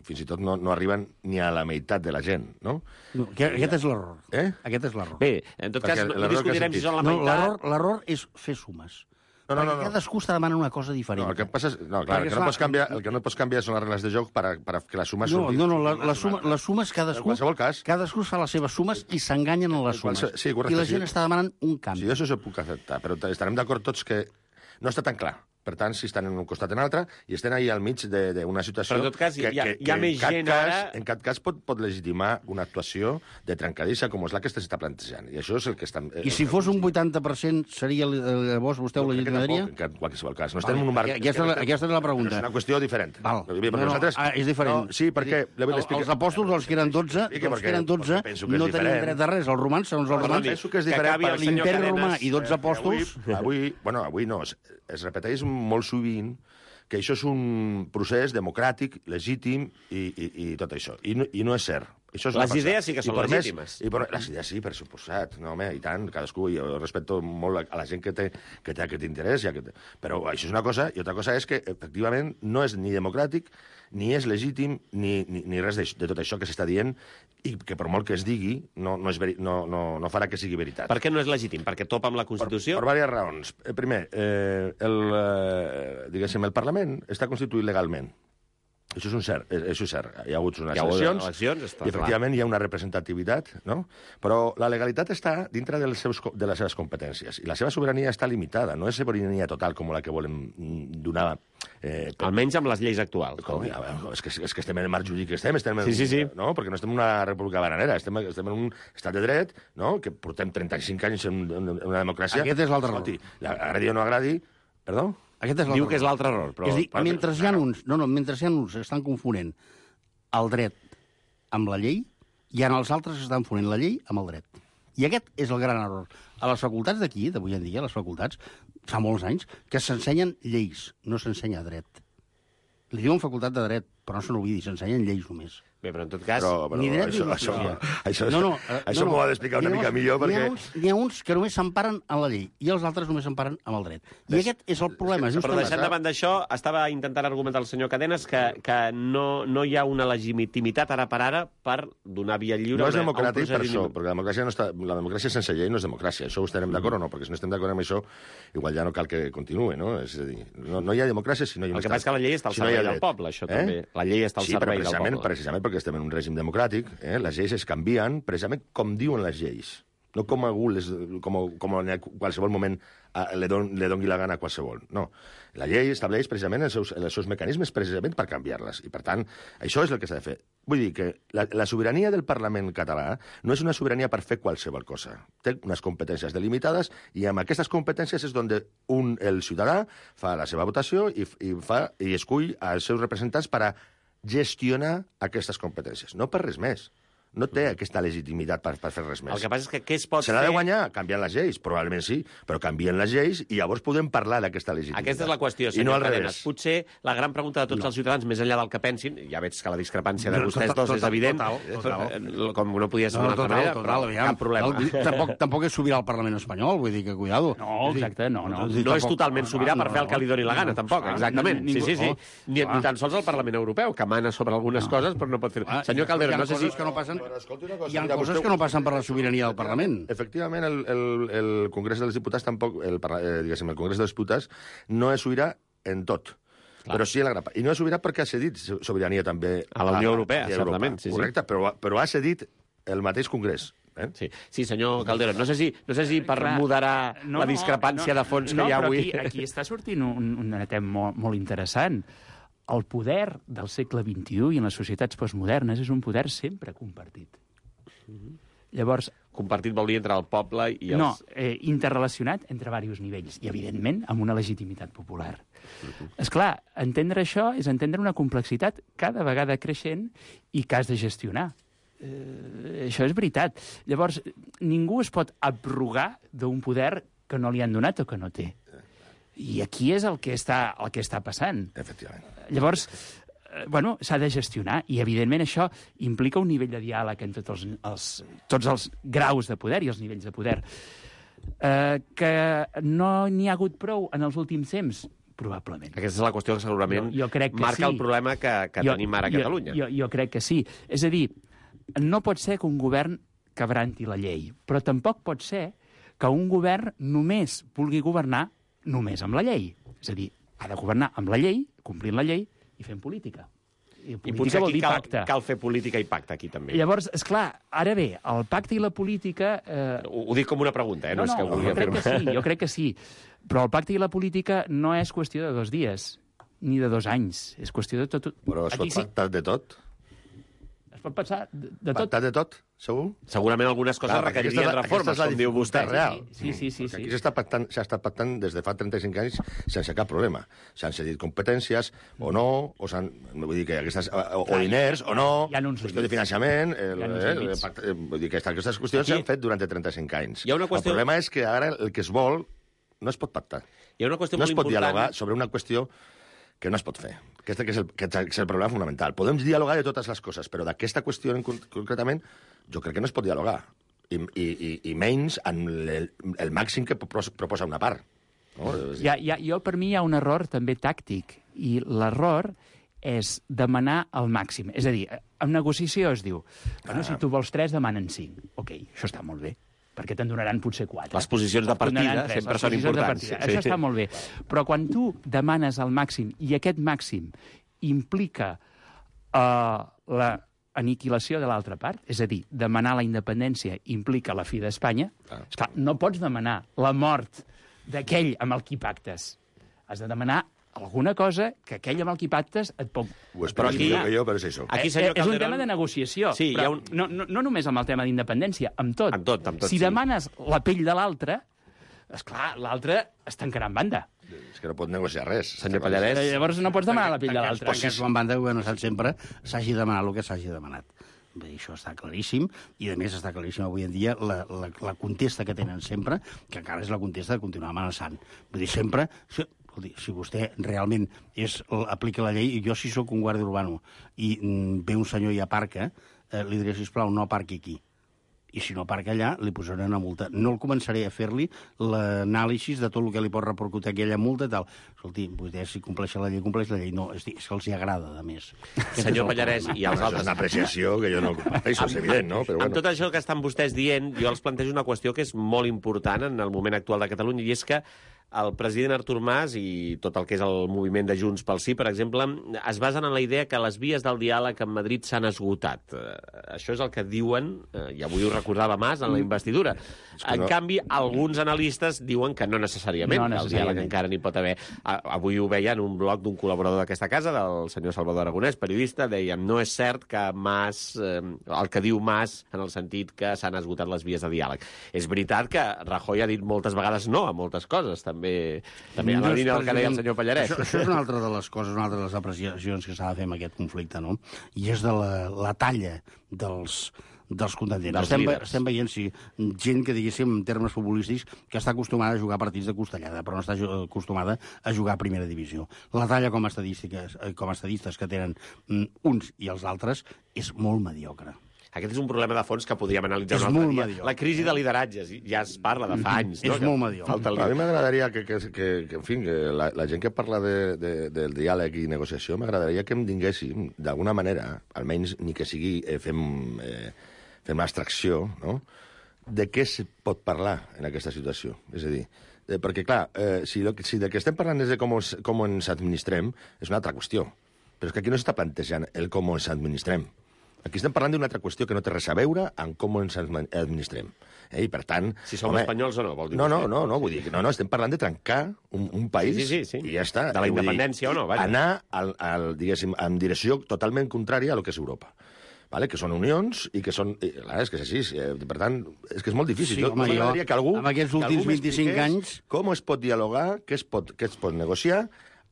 [SPEAKER 4] fins i tot no, no arriben ni a la meitat de la gent, no?
[SPEAKER 2] No, aquest aquest és l'error.
[SPEAKER 4] Eh?
[SPEAKER 2] Aquest és l'error.
[SPEAKER 1] Bé, en tot
[SPEAKER 4] Perquè
[SPEAKER 1] cas, no, no
[SPEAKER 4] l'error que
[SPEAKER 1] discutirem
[SPEAKER 4] has
[SPEAKER 1] si són la
[SPEAKER 2] No,
[SPEAKER 1] meitat...
[SPEAKER 2] l'error l'error és fer sumes.
[SPEAKER 4] No, no,
[SPEAKER 2] Perquè
[SPEAKER 4] no, no.
[SPEAKER 2] cadascú està demanant una cosa diferent.
[SPEAKER 4] No, el que passa és... No, clar, el
[SPEAKER 2] Perquè,
[SPEAKER 4] que, no
[SPEAKER 2] esclar,
[SPEAKER 4] pots canviar, el que no pots canviar són les regles de joc per, a, per a que la suma
[SPEAKER 2] No,
[SPEAKER 4] surti.
[SPEAKER 2] no, no, la, la suma, les sumes cadascú...
[SPEAKER 4] En qualsevol cas.
[SPEAKER 2] Cadascú fa les seves sumes i s'enganyen en les
[SPEAKER 4] En qualse-
[SPEAKER 2] sumes.
[SPEAKER 4] sí, correcte,
[SPEAKER 2] I la
[SPEAKER 4] sí.
[SPEAKER 2] gent està demanant un canvi.
[SPEAKER 4] Sí, això s'ho puc acceptar, però estarem d'acord tots que no està tan clar. Per tant, si estan en un costat o en l'altre, i estem ahí al mig d'una situació...
[SPEAKER 1] Però, en tot cas,
[SPEAKER 4] que,
[SPEAKER 1] hi ha-
[SPEAKER 4] que,
[SPEAKER 1] hi ha
[SPEAKER 4] que
[SPEAKER 1] més
[SPEAKER 4] en cap
[SPEAKER 1] gent
[SPEAKER 4] cas,
[SPEAKER 1] ara-
[SPEAKER 4] En cap cas pot, pot legitimar una actuació de trencadissa com és la que s'està plantejant. I això és el que estan...
[SPEAKER 2] I si fos un vuitanta per cent, seria, eh, llavors vostè ho legitimaria?
[SPEAKER 4] En qualsevol cas. No estem en un marc...
[SPEAKER 2] Aquesta, és la- aquesta és la pregunta.
[SPEAKER 4] Però és una qüestió diferent.
[SPEAKER 2] Val.
[SPEAKER 4] Perquè
[SPEAKER 2] No, no,
[SPEAKER 4] nosaltres...
[SPEAKER 2] ah, és diferent.
[SPEAKER 4] No, sí, perquè...
[SPEAKER 2] El, els apòstols, els que eren dotze,
[SPEAKER 4] Expliqui,
[SPEAKER 2] els
[SPEAKER 4] perquè-
[SPEAKER 2] que eren dotze
[SPEAKER 4] perquè penso que és
[SPEAKER 2] no tenien
[SPEAKER 4] diferent.
[SPEAKER 2] dret a res. Els romans, segons els
[SPEAKER 4] Bueno,
[SPEAKER 2] romans,
[SPEAKER 4] penso que és
[SPEAKER 1] que
[SPEAKER 4] diferent
[SPEAKER 1] acabi
[SPEAKER 4] per
[SPEAKER 1] el senyor
[SPEAKER 2] l'imperi
[SPEAKER 1] Cadenes,
[SPEAKER 2] romà i dotze
[SPEAKER 4] Eh,
[SPEAKER 2] apòstols...
[SPEAKER 4] Avui, avui, bueno, avui no, es, es repeteix molt sovint que això és un procés democràtic, legítim i, i, i tot això. I no, i no és cert. Això és
[SPEAKER 1] Les
[SPEAKER 4] una falsa.
[SPEAKER 1] idees sí que
[SPEAKER 4] I
[SPEAKER 1] són
[SPEAKER 4] per més-
[SPEAKER 1] legítimes.
[SPEAKER 4] I per, les idees sí, per suposat. No, home, i tant, cadascú. Jo respecto molt a la gent que té, que té aquest interès. Ja que té. Però això és una cosa, i altra cosa és que, efectivament, no és ni democràtic, ni és legítim, ni, ni, ni res de, de tot això que s'està dient, i que per molt que es digui, no, no, és veri, no, no, no farà que sigui veritat.
[SPEAKER 1] Per què no és legítim? Perquè topa amb la
[SPEAKER 4] Per,
[SPEAKER 1] Constitució?
[SPEAKER 4] per diverses raons. Eh, Primer, eh, el, eh, diguéssim, el Parlament està constituït legalment. Això és un cert, eh, això és cert. Hi ha hagut unes
[SPEAKER 1] Hi ha hagut
[SPEAKER 4] eleccions,
[SPEAKER 1] eleccions, està
[SPEAKER 4] i efectivament hi ha una representativitat, no? Però la legalitat està dintre dels seus, co- de les seves competències, i la seva sobirania està limitada, no és sobirania total com la que volem mm, donar. Eh, per-
[SPEAKER 1] Almenys amb les lleis actuals.
[SPEAKER 4] com, ja, veure, és, que, és que estem en el marc jurídic que estem, estem en,
[SPEAKER 1] Sí, sí, sí.
[SPEAKER 4] No? Perquè no estem en una república bananera, estem, estem en un estat de dret, no? Que portem trenta-cinc anys en, en, en una democràcia.
[SPEAKER 2] Aquest és l'altre
[SPEAKER 4] Escolti, la- agradi o no agradi... Perdó?
[SPEAKER 2] Aquest és
[SPEAKER 1] Diu
[SPEAKER 2] l'altre
[SPEAKER 1] que és
[SPEAKER 2] error.
[SPEAKER 1] l'altre error, però...
[SPEAKER 2] És a dir,
[SPEAKER 4] però-
[SPEAKER 2] mentre hi ha uns, no, no, mentre hi ha uns que estan confonent el dret amb la llei, hi ha els altres que estan confonent la llei amb el dret. I aquest és el gran error. A les facultats d'aquí, d'avui en dia, a les facultats, fa molts anys, que s'ensenyen lleis, no s'ensenya dret. Li diuen facultat de dret, però no se n'oblidi, s'ensenyen lleis només.
[SPEAKER 1] Bé, però en tot cas...
[SPEAKER 4] Però, però
[SPEAKER 2] Ni dret
[SPEAKER 4] això,
[SPEAKER 2] ni
[SPEAKER 4] això,
[SPEAKER 2] justícia.
[SPEAKER 4] això,
[SPEAKER 2] No, no, eh,
[SPEAKER 4] això
[SPEAKER 2] no, no.
[SPEAKER 4] m'ho ha d'explicar una
[SPEAKER 2] Llavors,
[SPEAKER 4] mica millor,
[SPEAKER 2] N'hi ha,
[SPEAKER 4] perquè...
[SPEAKER 2] uns, n'hi ha uns que només s'emparen en la llei i els altres només s'emparen amb el dret. I aquest és el problema,
[SPEAKER 1] Però
[SPEAKER 2] justament.
[SPEAKER 1] deixant de banda això, estava intentant argumentar el senyor Cadenes que, que no, no hi ha una legitimitat ara per ara per donar via lliure
[SPEAKER 4] No és
[SPEAKER 1] a una- a un
[SPEAKER 4] democràtic per
[SPEAKER 1] procediment.
[SPEAKER 4] això, perquè la democràcia, no està, la democràcia sense llei no és democràcia. Això ho estarem d'acord o no? Perquè si no estem d'acord amb això, igual ja no cal que continuï, no? És a dir, no, no hi ha democràcia si no hi ha un
[SPEAKER 1] El que passa és que la llei està al
[SPEAKER 4] si no hi ha
[SPEAKER 1] servei del
[SPEAKER 4] dret.
[SPEAKER 1] poble, això també. La llei està al
[SPEAKER 4] sí, però
[SPEAKER 1] servei del
[SPEAKER 4] precisament,
[SPEAKER 1] poble.
[SPEAKER 4] precisament perquè estem en un règim democràtic, eh? Les lleis es canvien precisament com diuen les lleis, no com algú les, com, com en qualsevol moment eh, le, don, le doni la gana a qualsevol. No. La llei estableix precisament els seus, els seus mecanismes precisament per canviar-les. I, per tant, això és el que s'ha de fer. Vull dir que la, la sobirania del Parlament català no és una sobirania per fer qualsevol cosa. Té unes competències delimitades i amb aquestes competències és on un, el ciutadà fa la seva votació i, i, fa, i escull els seus representants per a gestionar aquestes competències. No per res més. no té aquesta legitimitat per, per fer res més.
[SPEAKER 1] El que passa és que què es pot
[SPEAKER 4] Se l'ha
[SPEAKER 1] fer...
[SPEAKER 4] de guanyar canviant les lleis, probablement sí, però canvien les lleis i llavors podem parlar d'aquesta legitimitat.
[SPEAKER 1] Aquesta és la qüestió,
[SPEAKER 4] I no
[SPEAKER 1] senyor
[SPEAKER 4] al
[SPEAKER 1] Cadenes.
[SPEAKER 4] revés.
[SPEAKER 1] Potser la gran pregunta de tots
[SPEAKER 2] No.
[SPEAKER 1] els ciutadans, més enllà del que pensin, ja veig que la discrepància de
[SPEAKER 2] No,
[SPEAKER 1] vostès
[SPEAKER 2] total,
[SPEAKER 1] dos és
[SPEAKER 2] total,
[SPEAKER 1] evident,
[SPEAKER 2] total, total.
[SPEAKER 1] però, com no podia ser
[SPEAKER 2] No,
[SPEAKER 1] d'una altra
[SPEAKER 2] total,
[SPEAKER 1] manera,
[SPEAKER 2] total,
[SPEAKER 1] però
[SPEAKER 2] aviam.
[SPEAKER 1] cap problema.
[SPEAKER 2] El, tampoc, tampoc és sobirà al Parlament espanyol, vull dir que, cuidado.
[SPEAKER 3] No, exacte, no, no.
[SPEAKER 2] Vull dir,
[SPEAKER 1] No és
[SPEAKER 2] tampoc-
[SPEAKER 1] totalment sobirà per fer el que li doni la gana, tampoc,
[SPEAKER 2] clar,
[SPEAKER 1] exactament. Sí,
[SPEAKER 2] ningú-
[SPEAKER 1] sí, sí.
[SPEAKER 2] oh,
[SPEAKER 1] Ni,
[SPEAKER 2] clar.
[SPEAKER 1] ni tan sols el Parlament Europeu, que mana sobre algunes coses, però no pot fer...
[SPEAKER 2] Ah,
[SPEAKER 1] Senyor
[SPEAKER 2] i
[SPEAKER 1] Calderón,
[SPEAKER 2] hi ha
[SPEAKER 1] no sé si...
[SPEAKER 2] coses que no passen,
[SPEAKER 4] Però escolti una cosa,
[SPEAKER 2] hi ha
[SPEAKER 4] mira,
[SPEAKER 2] coses
[SPEAKER 4] vostè-
[SPEAKER 2] que no passen per la sobirania del Parlament.
[SPEAKER 4] Efectivament, el, el, el Congrés dels Diputats tampoc, el, parla- eh, diguéssim, el Congrés dels Diputats no és sobirà en tot. Clar. Però sí en la gran part. I no és sobirà perquè ha cedit sobirania també
[SPEAKER 1] A la Unió Europea,
[SPEAKER 4] a Europa.
[SPEAKER 1] certament, sí, sí.
[SPEAKER 4] Correcte, però, però ha cedit el mateix Congrés. Eh?
[SPEAKER 1] Sí, sí, senyor Calderón, no sé si, no sé si per
[SPEAKER 3] Clar,
[SPEAKER 1] moderar
[SPEAKER 3] no,
[SPEAKER 1] la
[SPEAKER 3] no,
[SPEAKER 1] discrepància
[SPEAKER 3] no,
[SPEAKER 1] de fons que
[SPEAKER 3] no,
[SPEAKER 1] hi ha
[SPEAKER 3] però
[SPEAKER 1] avui...
[SPEAKER 3] Aquí, aquí està sortint un, un tema molt, molt interessant. El poder del segle vint-i-u i en les societats postmodernes és un poder sempre compartit. Llavors,
[SPEAKER 1] Compartit vol dir entre el poble i els...
[SPEAKER 3] no, eh, interrelacionat entre diversos nivells i, evidentment, amb una legitimitat popular. És clar, entendre això és entendre una complexitat cada vegada creixent i que has de gestionar. Eh, això és veritat. Llavors, ningú es pot abrogar d'un poder que no li han donat o que no té. I aquí és el que està, el que està passant.
[SPEAKER 4] Efectivament.
[SPEAKER 3] Llavors, eh, bueno, s'ha de gestionar i, evidentment, això implica un nivell de diàleg en tots els, els, tots els graus de poder i els nivells de poder. Eh, que no n'hi ha hagut prou en els últims temps? Probablement.
[SPEAKER 1] Aquesta és la qüestió que segurament
[SPEAKER 3] Jo- jo crec que
[SPEAKER 1] marca
[SPEAKER 3] sí.
[SPEAKER 1] el problema que, que tenim ara a Catalunya.
[SPEAKER 3] Jo, jo, jo crec que sí. És a dir, no pot ser que un govern quebranti la llei, però tampoc pot ser que un govern només vulgui governar només amb la llei. És a dir, ha de governar amb la llei, complint la llei i fent política. I
[SPEAKER 1] I
[SPEAKER 3] política
[SPEAKER 1] potser
[SPEAKER 3] vol
[SPEAKER 1] aquí
[SPEAKER 3] dir
[SPEAKER 1] cal,
[SPEAKER 3] pacte.
[SPEAKER 1] cal fer política i pacte, aquí també.
[SPEAKER 3] Llavors, és clar, ara bé, el pacte i la política... Eh,
[SPEAKER 1] Ho, ho dic com una pregunta, eh? No,
[SPEAKER 3] no,
[SPEAKER 1] és que
[SPEAKER 3] no,
[SPEAKER 1] ho vulgui
[SPEAKER 3] jo crec que
[SPEAKER 1] afirmar.
[SPEAKER 3] sí, jo crec que sí. Però el pacte i la política no és qüestió de dos dies, ni de dos anys. És qüestió de tot...
[SPEAKER 4] Però es pot
[SPEAKER 3] Aquí sí,
[SPEAKER 4] pactar de tot?
[SPEAKER 3] es pot pensar de, de tot.
[SPEAKER 4] Pactar de tot, segur?
[SPEAKER 1] Segurament algunes coses
[SPEAKER 4] Clar, perquè
[SPEAKER 1] requeririen
[SPEAKER 4] aquesta és la-
[SPEAKER 1] reformes,
[SPEAKER 4] aquesta és la
[SPEAKER 1] com diu vostè.
[SPEAKER 4] dificultat real.
[SPEAKER 3] Sí, sí, sí,
[SPEAKER 4] Perquè
[SPEAKER 3] sí.
[SPEAKER 4] aquí s'està pactant, s'ha estat pactant des de fa trenta-cinc anys sense cap problema. S'han cedit competències o no, o s'han... Vull dir que aquestes... O, o diners o no,
[SPEAKER 3] hi ha uns
[SPEAKER 4] qüestió de
[SPEAKER 3] límits.
[SPEAKER 4] finançament... El,
[SPEAKER 3] Hi ha uns
[SPEAKER 4] eh, el
[SPEAKER 3] límits.
[SPEAKER 4] pacte, eh, vull dir que aquestes qüestions
[SPEAKER 1] Aquí-
[SPEAKER 4] s'han fet durant trenta-cinc anys.
[SPEAKER 1] Hi ha una qüestió-
[SPEAKER 4] El problema és que ara el que es vol no es pot pactar.
[SPEAKER 1] Hi ha una qüestió
[SPEAKER 4] No
[SPEAKER 1] molt
[SPEAKER 4] es pot
[SPEAKER 1] important...
[SPEAKER 4] dialogar sobre una qüestió que no es pot fer. Aquest que és, el, que és el problema fonamental. Podem dialogar de totes les coses, però d'aquesta qüestió en con- concretament jo crec que no es pot dialogar. I, i, i, i menys en el, el màxim que propos- proposa una part. No? És dir,
[SPEAKER 3] Hi ha, hi ha, jo, per mi, hi ha un error també tàctic, i l'error és demanar el màxim. És a dir, en negociació es diu, bueno, si tu vols tres, demanen cinc. Ok, això està molt bé, perquè te'n donaran potser quatre.
[SPEAKER 1] Les posicions de
[SPEAKER 3] Et donaran
[SPEAKER 1] partida
[SPEAKER 3] tres,
[SPEAKER 1] sempre
[SPEAKER 3] les
[SPEAKER 1] són
[SPEAKER 3] posicions de
[SPEAKER 1] importants.
[SPEAKER 3] partida.
[SPEAKER 1] Sí.
[SPEAKER 3] Això està molt bé. Però quan tu demanes el màxim, i aquest màxim implica uh, la aniquilació de l'altra part, és a dir, demanar la independència implica la fi d'Espanya,
[SPEAKER 4] Ah.
[SPEAKER 3] esclar, no pots demanar la mort d'aquell amb el qui pactes. Has de demanar alguna cosa que aquell amb el qui pactes et pot...
[SPEAKER 4] ho espero
[SPEAKER 1] aquí-
[SPEAKER 4] millor que jo, però és això.
[SPEAKER 1] Aquí,
[SPEAKER 3] Eh,
[SPEAKER 1] senyor
[SPEAKER 3] és un
[SPEAKER 1] Calderón-
[SPEAKER 3] tema de negociació,
[SPEAKER 1] Sí, hi ha
[SPEAKER 3] però
[SPEAKER 1] un-
[SPEAKER 3] no, no, no només amb el tema d'independència, amb tot.
[SPEAKER 1] Amb tot, amb tot,
[SPEAKER 3] si
[SPEAKER 1] sí.
[SPEAKER 3] demanes la pell de l'altre, esclar, l'altre es tancarà en banda.
[SPEAKER 4] És que no pot negociar res.
[SPEAKER 1] Senyor Pallarès,
[SPEAKER 3] Eh, Llavors no pots demanar la pell de l'altre.
[SPEAKER 2] Tancats en banda, ho he notat sempre, s'hagi demanat el que s'hagi demanat. Bé, això està claríssim, i a més està claríssim avui en dia la, la, la contesta que tenen sempre, que encara és la contesta de continuar amenaçant. Vull dir, sempre... Si, escolti, si vostè realment és, aplica la llei, i jo si sóc un guàrdia urbano i mm, ve un senyor i aparca, eh, li diré, sisplau, no aparqui aquí. I si no aparca allà, li posaré una multa. No el començaré a fer-li l'anàlisi de tot el que li pot repercutir aquella multa i tal. Escolti, vostè si compleix la llei, compleix la llei. No, és, dir, és que els hi agrada, a més. Aquest és
[SPEAKER 1] senyor
[SPEAKER 2] el
[SPEAKER 1] Pallarès
[SPEAKER 2] problema.
[SPEAKER 1] i els
[SPEAKER 4] Això és
[SPEAKER 1] altres...
[SPEAKER 4] una apreciació que jo no comparteixo, és evident, no? Però
[SPEAKER 1] Amb
[SPEAKER 4] bueno.
[SPEAKER 1] tot això que estan vostès dient, jo els plantejo una qüestió que és molt important en el moment actual de Catalunya, i és que el president Artur Mas i tot el que és el moviment de Junts pel Sí, per exemple, es basen en la idea que les vies del diàleg amb Madrid s'han esgotat. Eh, això és el que diuen, eh, i avui ho recordava Mas en la investidura.
[SPEAKER 4] que
[SPEAKER 1] En
[SPEAKER 4] no-
[SPEAKER 1] canvi, alguns analistes diuen que no necessàriament,
[SPEAKER 3] No
[SPEAKER 1] que el
[SPEAKER 3] necessàriament.
[SPEAKER 1] diàleg encara n'hi pot haver. A- Avui ho veia en un blog d'un col·laborador d'aquesta casa, del senyor Salvador Aragonès, periodista, deien, no és cert que Mas, eh, el que diu Mas, en el sentit que s'han esgotat les vies de diàleg. És veritat que Rajoy ha dit moltes vegades no a moltes coses, també, també en la
[SPEAKER 2] No és
[SPEAKER 1] línia del que deia el
[SPEAKER 2] precisament-
[SPEAKER 1] senyor Pallarès.
[SPEAKER 2] Això, això és una altra de les coses, una altra de les apreciacions que s'ha de fer amb aquest conflicte, no? I és de la, la talla dels, dels contendents.
[SPEAKER 1] Dels
[SPEAKER 2] estem,
[SPEAKER 1] líders.
[SPEAKER 2] estem veient, sí, gent que, diguéssim, en termes futbolístics, que està acostumada a jugar partits de costellada, però no està acostumada a jugar a primera divisió. La talla com a estadístiques, com a estadistes que tenen uns i els altres és molt mediocre.
[SPEAKER 1] Aquest és un problema de fons que podríem analitzar
[SPEAKER 2] És
[SPEAKER 1] un altre
[SPEAKER 2] molt
[SPEAKER 1] dia.
[SPEAKER 2] mediocre.
[SPEAKER 1] La crisi de lideratges, ja es parla de fa anys.
[SPEAKER 2] És
[SPEAKER 1] no?
[SPEAKER 2] molt mediocre.
[SPEAKER 1] Falta el...
[SPEAKER 4] A mi m'agradaria que, que, que, que, en fi, que la, la gent que parla de, de, del diàleg i negociació, m'agradaria que em tinguéssim, d'alguna manera, almenys ni que sigui, eh, fem, eh, fem l'extracció, no?, de què se pot parlar en aquesta situació. És a dir, eh, perquè, clar, eh, si, lo, si del que estem parlant és de com, os, com ens administrem, és una altra qüestió. Però és que aquí no s'està plantejant el com ens administrem. Aquí estem parlant d'una altra qüestió que no té res a veure amb com ens administrem. Eh? I, per tant...
[SPEAKER 1] Si som home, espanyols o no, vol dir
[SPEAKER 4] No, no,
[SPEAKER 1] vostè.
[SPEAKER 4] no, no, vull dir que no, no, estem parlant de trencar un, un país
[SPEAKER 1] Sí, sí, sí, sí.
[SPEAKER 4] i ja està.
[SPEAKER 1] De la
[SPEAKER 4] Eh, vull
[SPEAKER 1] independència
[SPEAKER 4] dir,
[SPEAKER 1] o no, vaja.
[SPEAKER 4] Anar, al, al, diguéssim, en direcció totalment contrària a lo que és Europa. Vale? Que són unions i que són... I, clar, és que és així. Eh, per tant, és que és molt difícil.
[SPEAKER 2] Sí,
[SPEAKER 4] jo,
[SPEAKER 2] home,
[SPEAKER 4] m'agradaria
[SPEAKER 2] jo,
[SPEAKER 4] que algú...
[SPEAKER 2] amb aquests
[SPEAKER 4] que
[SPEAKER 2] últims
[SPEAKER 4] algú
[SPEAKER 2] vint-i-cinc
[SPEAKER 4] m'expliqués
[SPEAKER 2] anys...
[SPEAKER 4] Com es pot dialogar, què es pot, què es pot negociar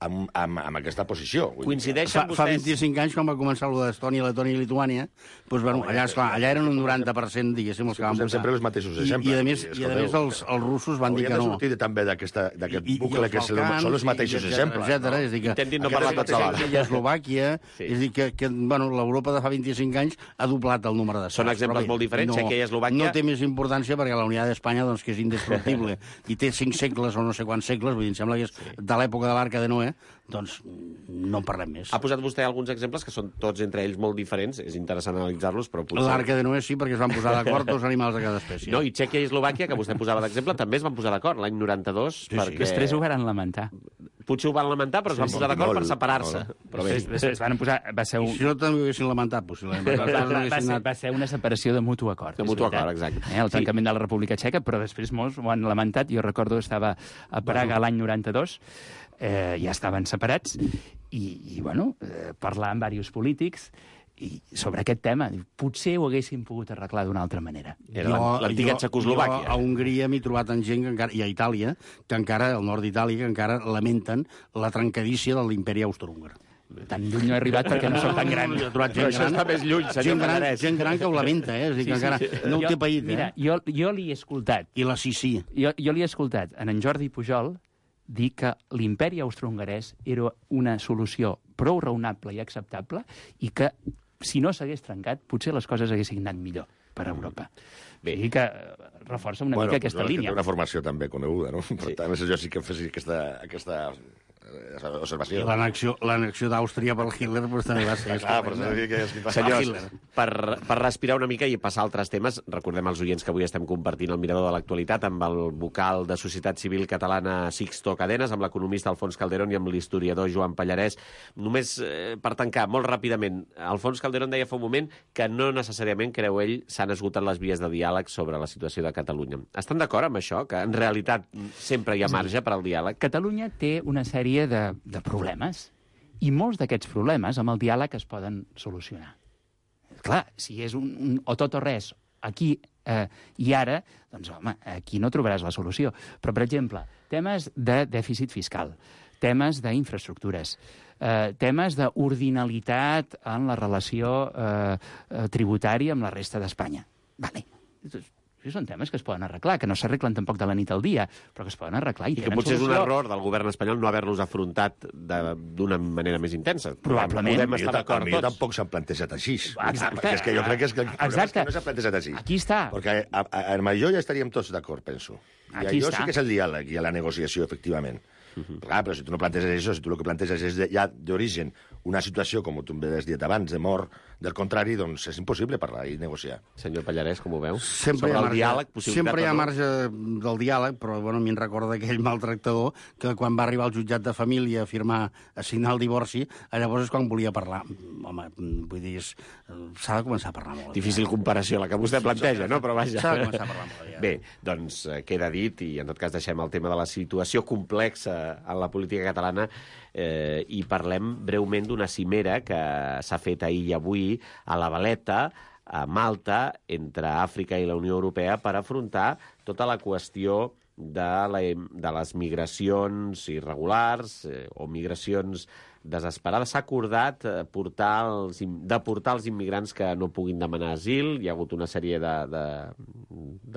[SPEAKER 4] amb, amb, amb aquesta posició. Vull dir,
[SPEAKER 1] Coincideixen
[SPEAKER 2] Fa, fa
[SPEAKER 1] vostès...
[SPEAKER 2] vint-i-cinc anys, quan va començar allò d'Estònia, Letònia i Lituània, doncs, bueno, allà, esclar, allà eren un noranta per cent, diguéssim, els que van
[SPEAKER 4] posem
[SPEAKER 2] votar.
[SPEAKER 4] sempre els mateixos
[SPEAKER 2] I,
[SPEAKER 4] exemples.
[SPEAKER 2] I, a més,
[SPEAKER 4] Vull dir,
[SPEAKER 2] i a més els, els russos van dir
[SPEAKER 4] Hauríem
[SPEAKER 2] que
[SPEAKER 4] de
[SPEAKER 2] no.
[SPEAKER 4] sortir també d'aquest
[SPEAKER 2] I- i
[SPEAKER 4] bucle
[SPEAKER 2] els
[SPEAKER 4] que és-
[SPEAKER 2] Balcans,
[SPEAKER 4] són els mateixos
[SPEAKER 2] i
[SPEAKER 4] exemples.
[SPEAKER 2] etcètera. És a dir, que
[SPEAKER 1] Intentin no
[SPEAKER 4] Aquest
[SPEAKER 1] parlar
[SPEAKER 4] és
[SPEAKER 1] tots alhora.
[SPEAKER 2] I Eslovàquia,
[SPEAKER 1] Sí.
[SPEAKER 2] és a dir, que, que bueno, l'Europa de fa vint-i-cinc anys ha doblat el númere d'estats.
[SPEAKER 1] Són exemples
[SPEAKER 2] Però bé,
[SPEAKER 1] molt diferents,
[SPEAKER 2] no,
[SPEAKER 1] Txèquia i Eslovàquia.
[SPEAKER 2] No té més importància perquè la Unitat d'Espanya, doncs, que és indestructible, i té cinc segles o no sé quants segles, vull dir, em sembla que és de l'època de l'Arca de Noé, doncs no en parlem més.
[SPEAKER 1] Ha posat vostè alguns exemples que són tots entre ells molt diferents. És interessant analitzar-los, però potser...
[SPEAKER 2] L'Arca de Noé sí, perquè es van posar d'acord dos animals de cada espècie.
[SPEAKER 1] No, i Txèquia i Eslovàquia, que vostè posava d'exemple, també es van posar d'acord l'any noranta-dos,
[SPEAKER 2] sí.
[SPEAKER 1] perquè...
[SPEAKER 3] Després ho van lamentar.
[SPEAKER 1] Potser ho van lamentar, però es van
[SPEAKER 4] sí,
[SPEAKER 1] posar d'acord
[SPEAKER 4] molt,
[SPEAKER 1] per separar-se.
[SPEAKER 4] molt.
[SPEAKER 1] Però bé,
[SPEAKER 3] Després, després van posar... Va ser,
[SPEAKER 2] I
[SPEAKER 3] un,
[SPEAKER 2] si no també ho haguessin lamentat, possiblement.
[SPEAKER 3] va,
[SPEAKER 2] Les coses no
[SPEAKER 3] va, va,
[SPEAKER 2] haguessin
[SPEAKER 3] ser,
[SPEAKER 2] anat-
[SPEAKER 3] va ser una separació de mutu acord.
[SPEAKER 1] De
[SPEAKER 3] és
[SPEAKER 1] mutu
[SPEAKER 3] veritat.
[SPEAKER 1] acord, exacte.
[SPEAKER 3] Eh, el tancament de la República Txeca, però després molts ho han lamentat. Jo recordo que estava a Praga l'any noranta-dos, eh, ja estaven separats, i, i bueno, eh, parlar amb diversos polítics i sobre aquest tema. Potser ho haguessin pogut arreglar d'una altra manera.
[SPEAKER 1] era l'antiga
[SPEAKER 2] jo-
[SPEAKER 1] Txecoslovàquia.
[SPEAKER 2] Jo a Hongria m'he trobat en gent, que encara, i a Itàlia, que encara, al nord d'Itàlia, que encara lamenten la trencadícia de l'imperi austrohúngar.
[SPEAKER 3] Tan lluny no he arribat perquè no soc tan gran.
[SPEAKER 2] Jo he trobat
[SPEAKER 1] Però
[SPEAKER 2] gent
[SPEAKER 1] això
[SPEAKER 2] gran,
[SPEAKER 1] està més lluny, senyor
[SPEAKER 2] gent gran,
[SPEAKER 1] Pallarès.
[SPEAKER 2] gent gran que ho lamenta, eh? És a dir, que encara no ho
[SPEAKER 3] Jo-
[SPEAKER 2] té paït,
[SPEAKER 3] Mira,
[SPEAKER 2] eh?
[SPEAKER 3] jo, jo li he escoltat,
[SPEAKER 2] I la Sissi.
[SPEAKER 3] jo, jo li he escoltat en en Jordi Pujol dir que l'imperi austrohongarès era una solució prou raonable i acceptable i que, si no s'hagués trencat, potser les coses haguessin anat millor per Europa.
[SPEAKER 1] Bé.
[SPEAKER 3] I que eh, reforça una
[SPEAKER 4] Bueno,
[SPEAKER 3] mica aquesta
[SPEAKER 4] doncs, que
[SPEAKER 3] línia.
[SPEAKER 4] té una formació també coneguda, no? Per tant, jo sí que fes aquesta, aquesta eh,
[SPEAKER 2] I
[SPEAKER 4] observació.
[SPEAKER 2] l'annexió l'annexió d'Àustria per Hitler doncs, també va ser...
[SPEAKER 4] Ah, però s'ha de dir que és...
[SPEAKER 1] Senyors, per, per respirar una mica i passar a altres temes, recordem als oients que avui estem compartint el mirador de l'actualitat amb el vocal de Societat Civil Catalana Sixto Cadenas, amb l'economista Alfons Calderón i amb l'historiador Joan Pallarès. Només eh, per tancar, molt ràpidament, Alfons Calderón deia fa un moment que no necessàriament, creu ell, s'han esgotat les vies de diàleg sobre la situació de Catalunya. Estan d'acord amb això, que en realitat sempre hi ha marge per al diàleg?
[SPEAKER 3] Catalunya té una sèrie de, de problemes i molts d'aquests problemes amb el diàleg es poden solucionar. Clar, si és un, un o tot o res aquí eh, i ara, doncs, home, aquí no trobaràs la solució. Però, per exemple, temes de dèficit fiscal, temes d'infraestructures, eh, temes d'ordinalitat en la relació eh, eh, tributària amb la resta d'Espanya. Vale. Això són temes que es poden arreglar, que no s'arreglen tampoc de la nit al dia, però que es poden arreglar. I,
[SPEAKER 1] I que
[SPEAKER 3] tenen
[SPEAKER 1] potser és un
[SPEAKER 3] solució.
[SPEAKER 1] error del govern espanyol no haver-los afrontat de- d'una manera més intensa.
[SPEAKER 3] Probablement.
[SPEAKER 1] Podem
[SPEAKER 4] Jo,
[SPEAKER 1] estar d'acord
[SPEAKER 4] jo
[SPEAKER 1] tots.
[SPEAKER 4] tampoc s'han plantejat així.
[SPEAKER 3] Exacte.
[SPEAKER 4] Perquè és que jo crec que, és que el problema és
[SPEAKER 3] Exacte.
[SPEAKER 4] que no s'ha plantejat així.
[SPEAKER 3] Aquí està.
[SPEAKER 4] Perquè a, a, en això ja estaríem tots d'acord, penso. I
[SPEAKER 3] Aquí
[SPEAKER 4] allò
[SPEAKER 3] està.
[SPEAKER 4] sí que és el diàleg i la negociació, efectivament. Uh -huh. Clar, però si tu no planteges això, si tu el que planteges és de, ja d'origen una situació, com tu m'has dit abans, de mort del contrari, doncs és impossible parlar i negociar.
[SPEAKER 1] Senyor Pallarès, com ho veu?
[SPEAKER 2] Sempre
[SPEAKER 1] Sobre
[SPEAKER 2] hi ha
[SPEAKER 1] el
[SPEAKER 2] marge,
[SPEAKER 1] diàleg, possibilitat
[SPEAKER 2] sempre hi ha
[SPEAKER 1] o no?
[SPEAKER 2] marge del diàleg, però bueno, a mi em recorda aquell maltractador que quan va arribar al jutjat de família a firmar, a signar el divorci, llavors és quan volia parlar. Home, vull dir, és- s'ha de començar a parlar molt.
[SPEAKER 1] Difícil comparació, la que vostè planteja, no? Però vaja.
[SPEAKER 2] S'ha de començar a parlar molt aviat.
[SPEAKER 1] Bé, doncs eh, queda dit, i en tot cas deixem el tema de la situació complexa en la política catalana eh, i parlem breument d'una cimera que s'ha fet ahir i avui a la Valeta, a Malta, entre Àfrica i la Unió Europea, per afrontar tota la qüestió de, la, de les migracions irregulars eh, o migracions desesperada. S'ha acordat eh, portar els, deportar els immigrants que no puguin demanar asil. Hi ha hagut una sèrie de, de,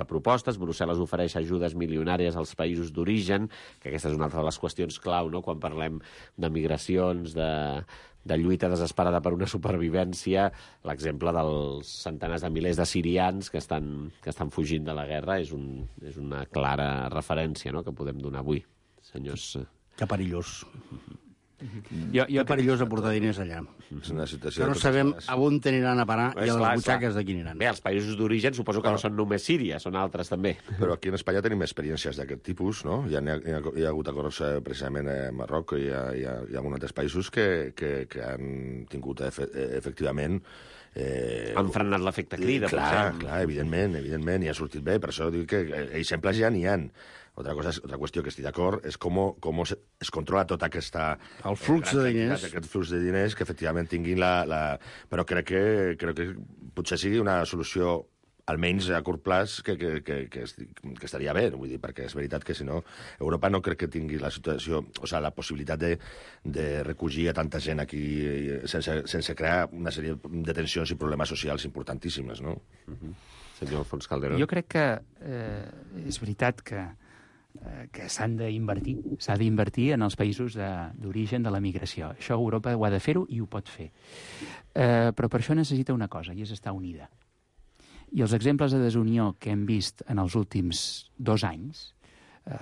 [SPEAKER 1] de propostes. Brussel·les ofereix ajudes milionàries als països d'origen, que aquesta és una altra de les qüestions clau, no?, quan parlem de migracions, de, de lluita desesperada per una supervivència. L'exemple dels centenars de milers de sirians que estan, que estan fugint de la guerra és, un, és una clara referència, no?, que podem donar avui, senyors.
[SPEAKER 2] Que perillós.
[SPEAKER 3] Jo, jo
[SPEAKER 2] que perillós aportar diners allà.
[SPEAKER 4] És una situació...
[SPEAKER 2] Que no sabem a on aniran a parar i a les butxaques de qui aniran.
[SPEAKER 1] Bé, els països d'origen suposo que no són només Síria, són altres també.
[SPEAKER 4] Però aquí en Espanya tenim experiències d'aquest tipus, no? Hi ha, hi ha, hi ha hagut acords eh, precisament a Marroc i hi ha, hi ha, hi ha alguns altres països que, que, que han tingut efe, efectivament...
[SPEAKER 1] Eh, han frenat l'efecte crida.
[SPEAKER 4] Clar, clar, evidentment, evidentment, i ha sortit bé, per això dic que exemples ja n'hi ha. Otra cosa, otra qüestió que estic d'acord és com, com es, es controla tota aquesta...
[SPEAKER 2] El flux eh, de diners.
[SPEAKER 4] Aquest flux de diners que efectivament tinguin la... la... Però crec que, crec que potser sigui una solució almenys a curt plaç que, que, que, que, que estaria bé, vull dir, perquè és veritat que si no, Europa no crec que tingui la situació, o sigui, la possibilitat de, de recollir a tanta gent aquí sense, sense crear una sèrie de tensions i problemes socials importantíssimes, no?
[SPEAKER 1] Uh-huh. Senyor Alfons Calderón.
[SPEAKER 3] Jo crec que eh, és veritat que que s'han d'invertir, s'ha d'invertir en els països d'origen de, de la migració. Això Europa ho ha de fer-ho i ho pot fer. Eh, però per això necessita una cosa, i és estar unida. I els exemples de desunió que hem vist en els últims dos anys, eh,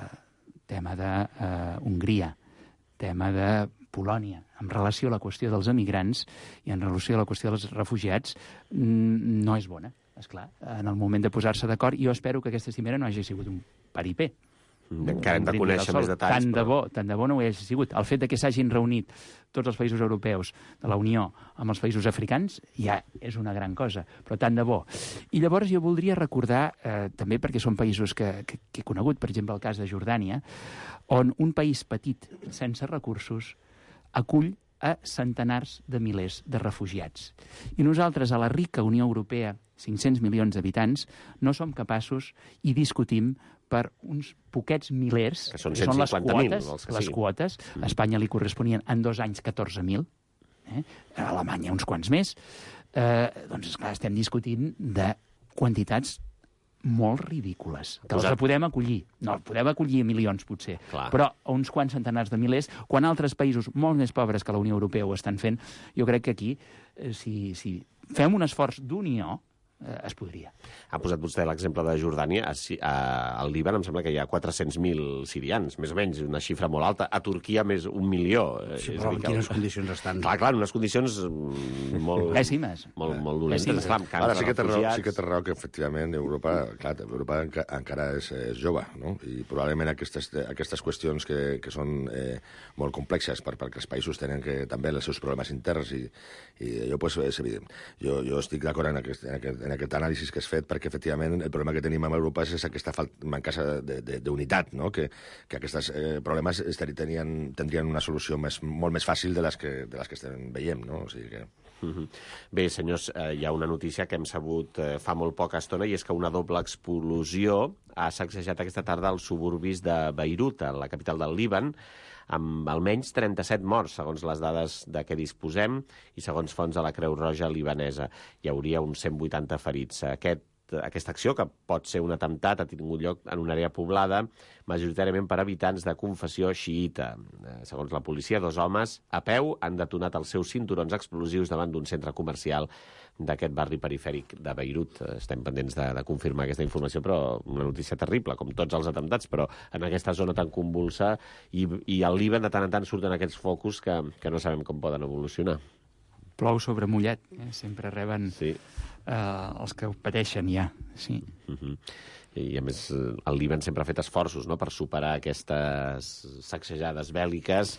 [SPEAKER 3] tema d'Hongria, eh, tema de Polònia, en relació a la qüestió dels emigrants i en relació a la qüestió dels refugiats, no és bona, esclar. En el moment de posar-se d'acord, jo espero que aquesta cimera no hagi sigut un paripé.
[SPEAKER 1] Encara hem de conèixer més detalls.
[SPEAKER 3] Tant de
[SPEAKER 1] però...
[SPEAKER 3] bo, tant de bo no ho hagi sigut. El fet de que s'hagin reunit tots els països europeus de la Unió amb els països africans ja és una gran cosa, però tant de bo. I llavors jo voldria recordar, eh, també perquè són països que, que, que he conegut, per exemple el cas de Jordània, on un país petit, sense recursos, acull a centenars de milers de refugiats. I nosaltres, a la rica Unió Europea, cinc-cents milions d'habitants, no som capaços i discutim per uns poquets milers,
[SPEAKER 1] que són,
[SPEAKER 3] que són les quotes,
[SPEAKER 1] mil,
[SPEAKER 3] les quotes. A Espanya li corresponien en dos anys catorze mil, eh? A Alemanya uns quants més. Eh, doncs, esclar, estem discutint de quantitats molt ridícules, que els podem acollir. No, podem acollir milions, potser,
[SPEAKER 1] clar,
[SPEAKER 3] però a uns quants centenars de milers, quan altres països molt més pobres que la Unió Europea ho estan fent, jo crec que aquí, eh, si, si fem un esforç d'unió, eh, es podria.
[SPEAKER 1] Ha posat vostè l'exemple de Jordània. A, a, al Líban em sembla que hi ha quatre-cents mil sirians, més o menys, una xifra molt alta. A Turquia, més un milió.
[SPEAKER 2] Sí, però en quines condicions estan?
[SPEAKER 1] Clar, clar, en unes condicions molt...
[SPEAKER 3] Pèssimes.
[SPEAKER 1] Molt, molt dolentes. Clar,
[SPEAKER 4] ara sí que té raó, sí que té raó que, efectivament, Europa, clar, Europa encara és, és jove, no? I probablement aquestes, aquestes qüestions que, que són eh, molt complexes per, perquè els països tenen que, també els seus problemes interns i, i jo, pues, és evident. Jo, jo estic d'acord en, aquest, en, aquest, en aquest anàlisi que has fet perquè, efectivament, el problema que tenim amb Europa és aquesta mancança d'unitat, no? Que, que aquests eh, problemes tenien, tindrien una solució més, molt més fàcil de les que, de les que estem veient, no? O sigui que...
[SPEAKER 1] Uh-huh. Bé, senyors, eh, hi ha una notícia que hem sabut eh, fa molt poca estona i és que una doble explosió ha sacsejat aquesta tarda als suburbis de Beirut, a la capital del Líban, amb almenys trenta-set morts, segons les dades de què disposem, i segons fonts de la Creu Roja libanesa. Hi hauria uns cent vuitanta ferits. Aquest, aquesta acció, que pot ser un atemptat, ha tingut lloc en una àrea poblada, majoritàriament per habitants de confessió xiïta. Segons la policia, dos homes a peu han detonat els seus cinturons explosius davant d'un centre comercial d'aquest barri perifèric de Beirut. Estem pendents de, de confirmar aquesta informació, però una notícia terrible, com tots els atemptats, però en aquesta zona tan convulsa, i, i al Líban de tant en tant surten aquests focus que, que no sabem com poden evolucionar.
[SPEAKER 3] Plou sobre mullat, eh? Sempre reben
[SPEAKER 1] sí.
[SPEAKER 3] eh, els que ho pateixen ja. Sí.
[SPEAKER 1] Uh-huh. I, a més, el Líban sempre ha fet esforços, no?, per superar aquestes sacsejades bèl·liques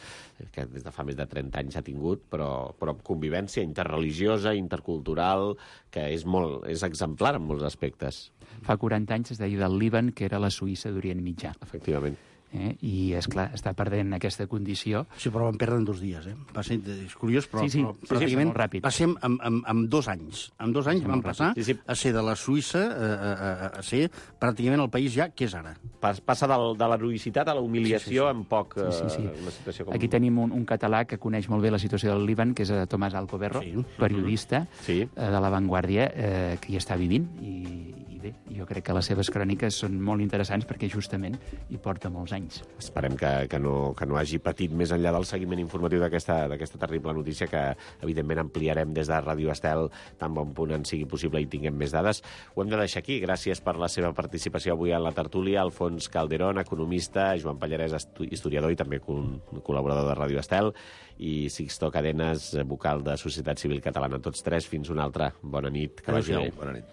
[SPEAKER 1] que des de fa més de trenta anys ha tingut, però, però amb convivència interreligiosa, intercultural, que és, molt, és exemplar en molts aspectes.
[SPEAKER 3] Fa quaranta anys es deia del Líban que era la Suïssa d'Orient Mitjà.
[SPEAKER 1] Efectivament.
[SPEAKER 3] Eh? I, és clar, està perdent aquesta condició.
[SPEAKER 2] Sí, però van perdre en dos dies, eh? Va ser és curiós, però,
[SPEAKER 3] Sí, sí,
[SPEAKER 2] però
[SPEAKER 3] sí, sí,
[SPEAKER 2] pràcticament
[SPEAKER 3] molt ràpid.
[SPEAKER 2] va ser en, en, en dos anys. En dos anys
[SPEAKER 3] Sí,
[SPEAKER 2] van
[SPEAKER 3] molt
[SPEAKER 2] passar
[SPEAKER 1] ràpid. Sí, sí.
[SPEAKER 2] a ser de la Suïssa a, a, a, a ser pràcticament el país ja que és ara.
[SPEAKER 1] Pas- Passa del, de l'heroïcitat a la humiliació
[SPEAKER 2] Sí, sí, sí.
[SPEAKER 1] en poc...
[SPEAKER 3] Sí, sí, sí.
[SPEAKER 1] eh, una situació com...
[SPEAKER 3] Aquí tenim un, un català que coneix molt bé la situació del Líban, que és eh, Tomàs Alcoberro,
[SPEAKER 2] Sí.
[SPEAKER 3] periodista
[SPEAKER 1] Sí.
[SPEAKER 3] eh, de La Vanguardia, eh, que hi està vivint. I, I bé, jo crec que les seves cròniques són molt interessants perquè justament hi porta molts anys.
[SPEAKER 1] Esperem que, que, no, que no hagi patit més enllà del seguiment informatiu d'aquesta d'aquesta terrible notícia que, evidentment, ampliarem des de Ràdio Estel tan bon punt en sigui possible i tinguem més dades. Ho hem de deixar aquí. Gràcies per la seva participació avui a la tertúlia. Alfons Calderón, economista, Joan Pallarès, estu- historiador i també col col·laborador de Ràdio Estel, i Sixto Cadenes, vocal de Societat Civil Catalana. Tots tres, fins una altra. Bona nit. Que vagi bé.
[SPEAKER 4] Bona nit.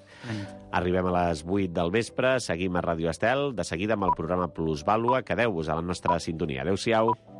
[SPEAKER 1] Arribem a les vuit del vespre, seguim a Ràdio Estel, de seguida amb el programa Plusvàlua. Quedeu-vos a la nostra sintonia. Adéu-siau.